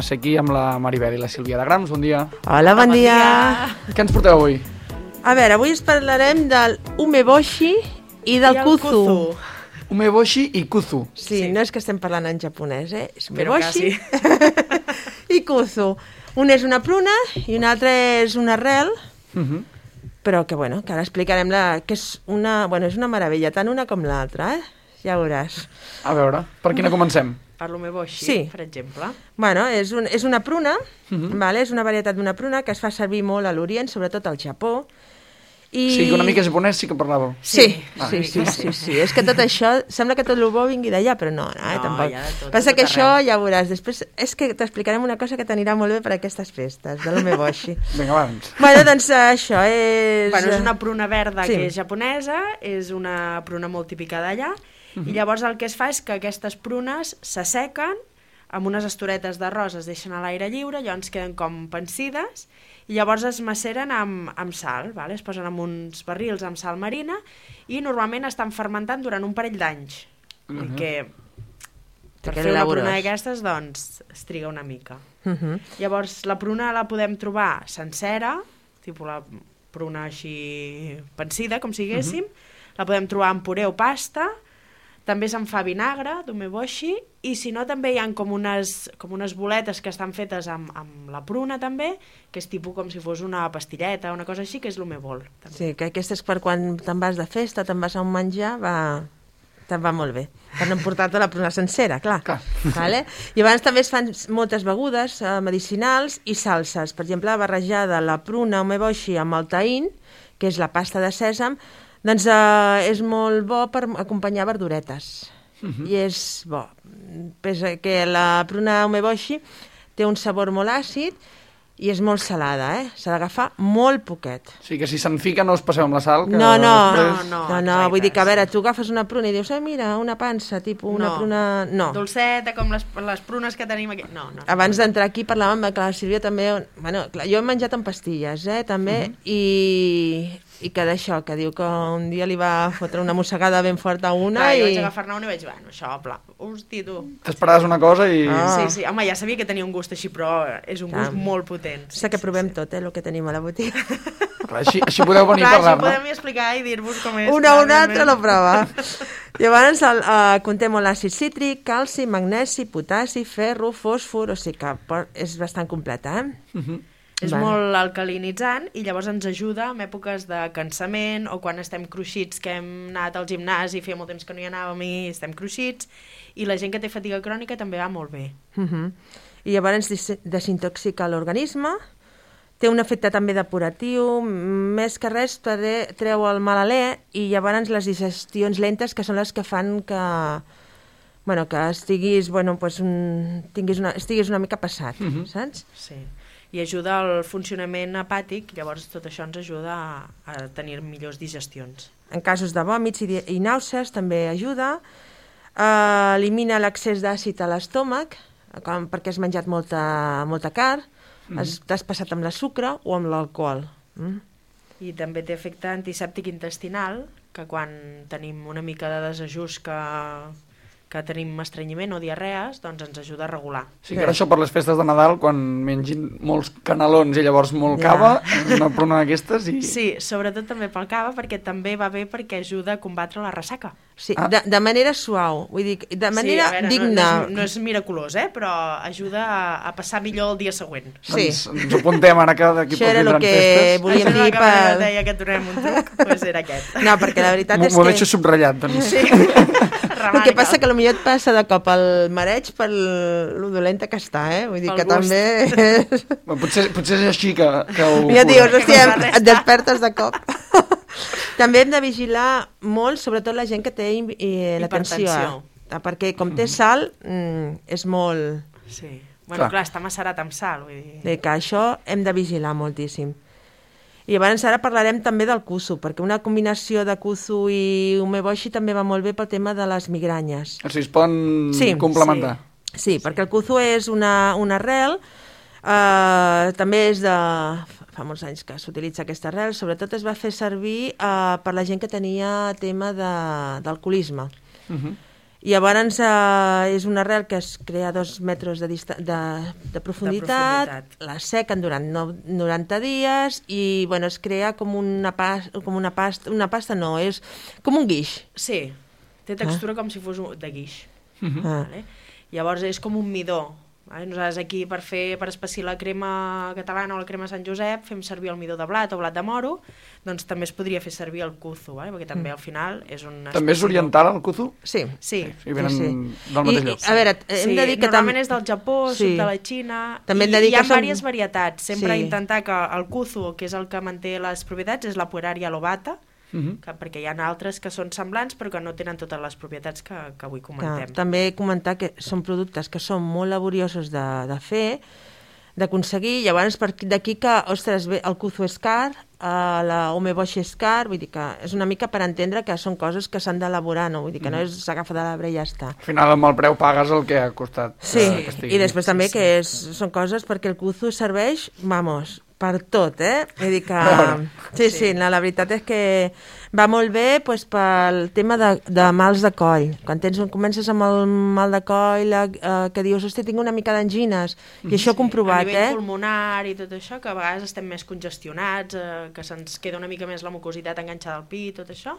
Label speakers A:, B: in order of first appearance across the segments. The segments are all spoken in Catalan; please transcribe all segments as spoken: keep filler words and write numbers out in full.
A: a ser aquí amb la Maribel i la Sílvia de Grams. Bon dia.
B: Hola, bon dia.
A: Què ens porteu avui?
B: A veure, avui us parlarem del umeboshi i del kuzu.
A: Umeboshi i kuzu.
B: Sí, no és que estem parlant en japonès, eh? És
C: Però
B: umeboshi i kuzu. Un és una pruna i un altre és una arrel,
A: Uh-huh.
B: però que, bueno, que ara explicarem la, que és una, bueno, és una meravella, tant una com l'altra, eh? Ja veuràs.
A: A veure, per quina comencem?
C: Per l'umeboshi,
B: Sí.
C: per exemple.
B: Bueno, és, un, és una pruna,
A: Uh-huh.
B: vale? És una varietat d'una pruna que es fa servir molt a l'Orient, sobretot al Japó. I...
A: O sigui que una mica japonès sí que parlàveu.
B: Sí,
A: Ah.
B: sí, sí, sí, sí. És que tot això, sembla que tot el bo vingui d'allà, però no, no, eh,
C: No,
B: tampoc.
C: hi ha de tot,
B: Passa
C: de
B: que
C: tot
B: això
C: arreu.
B: ja veuràs. Després és que t'explicarem una cosa que t'anirà molt bé per aquestes festes, de l'umeboshi.
A: Vinga, abans.
B: Bueno, doncs eh, això és...
C: Bueno, és una pruna verda
B: Sí.
C: que és japonesa, és una pruna molt típica d'allà,
A: Mhm.
C: i llavors el que es fa és que aquestes prunes s'assequen amb unes estoretes d'arròs, es deixen a l'aire lliure, llavors queden com pansides, i llavors es maceren amb, amb sal, vale? Es posen en uns barrils amb sal marina, i normalment estan fermentant durant un parell d'anys,
A: Mhm.
C: perquè per
B: queda
C: fer una
B: laboriós.
C: pruna d'aquestes, doncs, es triga una mica.
B: Uh -huh.
C: Llavors, la pruna la podem trobar sencera, tipus la pruna així pansida, com si diguéssim, la podem trobar en puré o pasta, també se'n fa vinagre, d'umeboshi, i si no també hi ha com unes, com unes boletes que estan fetes amb, amb la pruna també, que és tipus com si fos una pastilleta, una cosa així, que és l'umebol. també.
B: Sí, que aquesta és per quan te'n vas de festa, te'n vas a un menjar, va... te'n va molt bé. Per no emportar-te la pruna sencera, clar.
A: Clar.
B: Vale? I abans també es fan moltes begudes eh, medicinals i salses. Per exemple, barrejada la pruna umeboshi amb el tahin, que és la pasta de sèsam, doncs eh, és molt bo per acompanyar verduretes. Uh-huh. I és bo. Pesa que la pruna umeboshi té un sabor molt àcid i és molt salada, eh? S'ha d'agafar molt poquet.
A: O sigui que si se'n fica no us passeu amb la sal, que
B: No, no,
A: després...
B: no,
C: no,
B: no, no,
C: exacte,
B: vull dir que, a veure,
C: sí.
B: tu agafes una pruna i dius, ah, mira, una pansa, tipus una
C: No.
B: pruna... No.
C: Dolceta, com les, les prunes que tenim aquí. No, no.
B: Abans d'entrar aquí parlàvem que la Sílvia també... Bueno, clar, jo he menjat en pastilles, eh, també, uh-huh. i, i que d'això, que diu que un dia li va fotre una mossegada ben forta a una
C: Clar,
B: i...
C: jo vaig agafar-ne una i vaig dir, bueno, això, pla, hosti, tu.
A: T'esperaves una cosa i...
B: Ah.
C: Sí, sí, home, ja sabia que tenia un gust així, però és un
B: Clar.
C: gust molt potent.
B: Sé que provem tot, eh, el que tenim a la botiga.
A: Clar, així, així podeu venir
C: Clar,
A: a
C: això
A: parlar-ne.
C: podem explicar i dir-vos com és.
B: Una o una
C: clar,
B: altra lo prova. Llavors, el, uh, conté molt àcid cítric, calci, magnesi, potassi, ferro, fòsfor, o sigui que por- és bastant completa, eh?
A: Uh-huh.
C: És
B: Vale.
C: molt alcalinitzant i llavors ens ajuda en èpoques de cansament o quan estem cruixits, que hem anat al gimnàs i feia molt temps que no hi anàvem i estem cruixits, i la gent que té fatiga crònica també va molt bé.
B: Uh -huh. I llavors des desintoxica l'organisme, té un efecte també depuratiu, més que res tre- treu el mal alè i llavors les digestions lentes que són les que fan que, bueno, que estiguis, bueno, pues un, tinguis una, estiguis una mica passat, uh -huh. saps?
C: Sí. I ajuda al funcionament hepàtic, llavors tot això ens ajuda a, a tenir millors digestions.
B: En casos de vòmits i, di- i nàusees també ajuda, eh, elimina l'excés d'àcid a l'estómac, com perquè has menjat molta, molta carn, mm. t'has passat amb la sucre o amb l'alcohol. Mm?
C: I també té efecte antisèptic intestinal, que quan tenim una mica de desajust que, que tenim estrenyiment o diarrees, doncs ens ajuda a regular.
A: Sí, que ara això per les festes de Nadal, quan mengin molts canelons i llavors molt
B: Ja.
A: cava, una pruna d'aquestes i...
C: Sí, sobretot també pel cava, perquè també va bé perquè ajuda a combatre la ressaca.
B: Sí,
A: Ah.
B: de, de manera suau, vull dir, de manera
C: sí, a veure,
B: digna.
C: No, no, és, no és miraculós, eh? Però ajuda a, a passar millor el dia següent.
B: Sí.
A: Doncs ens ho apuntem ara que d'aquí
B: Això
A: poc
B: era el
A: vindran
B: que
A: festes.
B: volíem
C: Això
B: dir
C: que
B: per...
C: deia que et donem un truc, doncs era aquest.
B: No, perquè la veritat
A: M'ho
B: és
A: m'ho
B: que...
A: deixo subratllat, doncs.
C: Sí.
B: El que passa que potser et passa de cop el mareig per lo dolenta que està, eh? Vull dir
C: Pel
B: que
C: gust.
B: també...
A: Bueno, potser, potser és així que, que ho...
B: Ja dius,
C: Que
B: hòstia,
C: no fa res.
B: et despertes de cop. També hem de vigilar molt, sobretot la gent que té eh, la tensió.
C: Hipertensió.
B: Eh? Perquè com té sal, mm, és molt...
C: Sí. Bueno,
A: Clar.
C: clar, està macerat amb sal, vull dir...
B: De que això hem de vigilar moltíssim. I llavors ara parlarem també del kuzu, perquè una combinació de kuzu i umeboshi també va molt bé pel tema de les migranyes.
A: O sigui, es poden
B: Sí,
A: complementar.
B: Sí, perquè el kuzu és una, una arrel, eh, també és de... fa molts anys que s'utilitza aquesta arrel, sobretot es va fer servir eh, per la gent que tenia tema de- d'alcoholisme.
A: Uh -huh.
B: I llavors eh, és una arrel que es crea a dos metres de, dista de, de, profunditat, de profunditat, la sequen durant noranta dies i bueno, es crea com una, pas, com una pasta, una pasta no, és com un guix.
C: Sí, té textura ah. com si fos de guix.
B: Uh-huh.
C: Vale? Llavors és com un midó. Vale? Nosaltres aquí per fer per espessir la crema catalana o la crema Sant Josep fem servir el midó de blat o blat de moro, doncs també es podria fer servir el kuzu, vale? Perquè també al final és un...
A: També és oriental el kuzu?
B: Sí.
C: Sí.
A: I venen
B: sí,
A: sí. del mateix
B: I,
A: lloc.
B: I, a veure, hem
C: sí,
B: de dir que...
C: Normalment
B: tam...
C: és del Japó, sí. Sud de la Xina,
B: també
C: i hi ha
B: som...
C: diverses varietats. Sempre
B: sí.
C: intentar que el kuzu, que és el que manté les propietats, és la Pueraria lobata,
A: Uh-huh.
C: que, perquè hi ha altres que són semblants però que no tenen totes les propietats que, que avui comentem.
B: Ja, també comentar que són productes que són molt laboriosos de, de fer, d'aconseguir, llavors d'aquí que, ostres, bé, el kuzu és car, uh, la umeboshi és car, vull dir que és una mica per entendre que són coses que s'han d'elaborar, no? Vull dir que no és s'agafa de l'arbre i ja està.
A: Al final amb el preu pagues el que ha costat.
B: Sí,
A: que, que
B: i després també
C: sí, sí.
B: que és, són coses perquè el kuzu serveix, vamos, per tot, eh? Vull dir que... Sí, sí, no, la veritat és que va molt bé pues, pel tema de, de mals de coll. Quan tens, comences amb el mal de coll, la, eh, que dius, hòstia, tinc una mica d'angines, i això ho he comprovat,
C: eh? A nivell
B: eh?
C: pulmonar i tot això, que a vegades estem més congestionats, eh, que se'ns queda una mica més la mucositat enganxada al pit, tot això,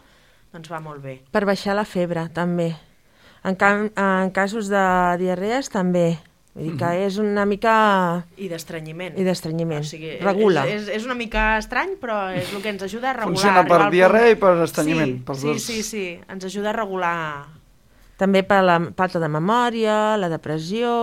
C: doncs va molt bé.
B: Per baixar la febre, també. En, cam, en casos de diarrees, també. Vull dir que és una mica...
C: I d'estrenyiment.
B: I d'estrenyiment.
C: O sigui,
B: regula.
C: És, és, és una mica estrany, però és el que ens ajuda a regular.
A: Funciona per diarrea i per estrenyiment.
C: Sí,
A: pels
C: sí,
A: dos.
C: sí, sí, ens ajuda a regular...
B: També per la falta de memòria, la depressió...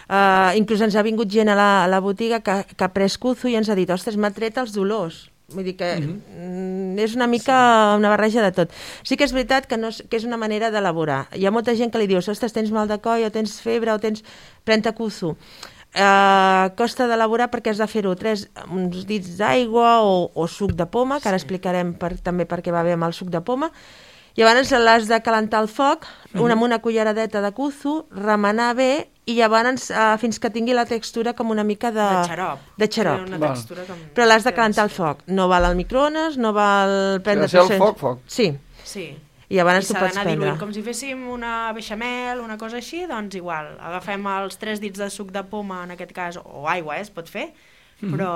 B: Eh, inclús ens ha vingut gent a la, a la botiga que, que ha pres kuzu i ens ha dit, ostres, m'ha tret els dolors. Vull dir que uh-huh. és una mica sí. una barreja de tot. Sí que és veritat que, no és, que és una manera d'elaborar. Hi ha molta gent que li dius, ostres, tens mal de coll o tens febre o tens... Pren-te kuzu. Uh, costa d'elaborar perquè has de fer-ho tres, uns dits d'aigua o, o suc de poma, que ara sí. explicarem per, també per què va bé amb el suc de poma. Llavors l'has de calentar al foc, uh-huh. una amb una culleradeta de kuzu, remenar bé i llavors uh, fins que tingui la textura com una mica de...
C: De xarop.
B: De xarop.
C: Una textura com...
B: Però l'has de calentar al foc. No val al microones, no val prendre...
A: Si ha de ser al foc, foc.
B: Sí.
C: Sí.
B: I llavors
C: I
B: tu pots prendre.
C: Diluint, com si féssim una beixamel, una cosa així, doncs igual. Agafem els tres dits de suc de poma, en aquest cas, o aigua, eh, es pot fer, mm-hmm. però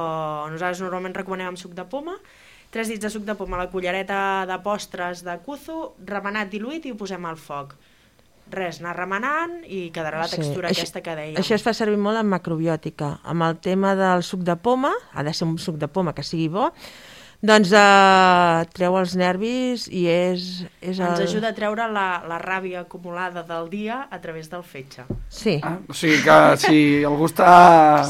C: nosaltres normalment recomanem amb suc de poma, tres dits de suc de poma, la cullereta de postres de kuzu, remenat, diluït i ho posem al foc. Res, anar remenant i quedarà la textura sí. aquesta que dèiem.
B: Això es fa servir molt en macrobiòtica. Amb el tema del suc de poma, ha de ser un suc de poma que sigui bo, doncs eh, treu els nervis i és... és el...
C: Ens ajuda a treure la, la ràbia acumulada del dia a través del fetge.
B: Sí.
A: Ah, o sigui que si algú està...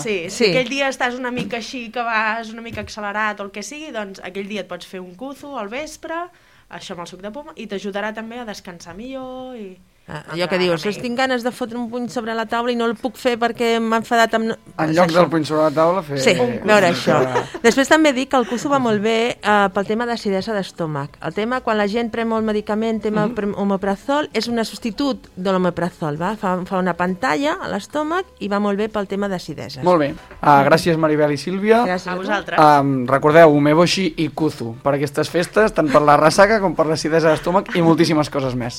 C: Sí, si
B: sí.
C: aquell dia estàs una mica així, que vas una mica accelerat o el que sigui, doncs aquell dia et pots fer un kuzu al vespre, això amb el suc de poma, i t'ajudarà també a descansar millor i...
B: Ah, allò que dius, tinc ganes de fotre un puny sobre la taula i no el puc fer perquè m'ha enfadat amb...
A: En lloc del puny sobre la taula fer...
B: Sí, veure això. Després també dic que el kuzu va molt bé eh, pel tema d'acidesa d'estómac. El tema, quan la gent pren molt medicament, tema mm-hmm. omeprazol, és un substitut de l'omeprazol, va? Fa, fa una pantalla a l'estómac i va molt bé pel tema d'acideses.
A: Molt bé. Uh, gràcies, Maribel i Sílvia.
C: Gràcies a vosaltres.
A: Uh, recordeu, umeboshi i kuzu per aquestes festes, tant per la ressaca com per l'acidesa d'estómac i moltíssimes coses més.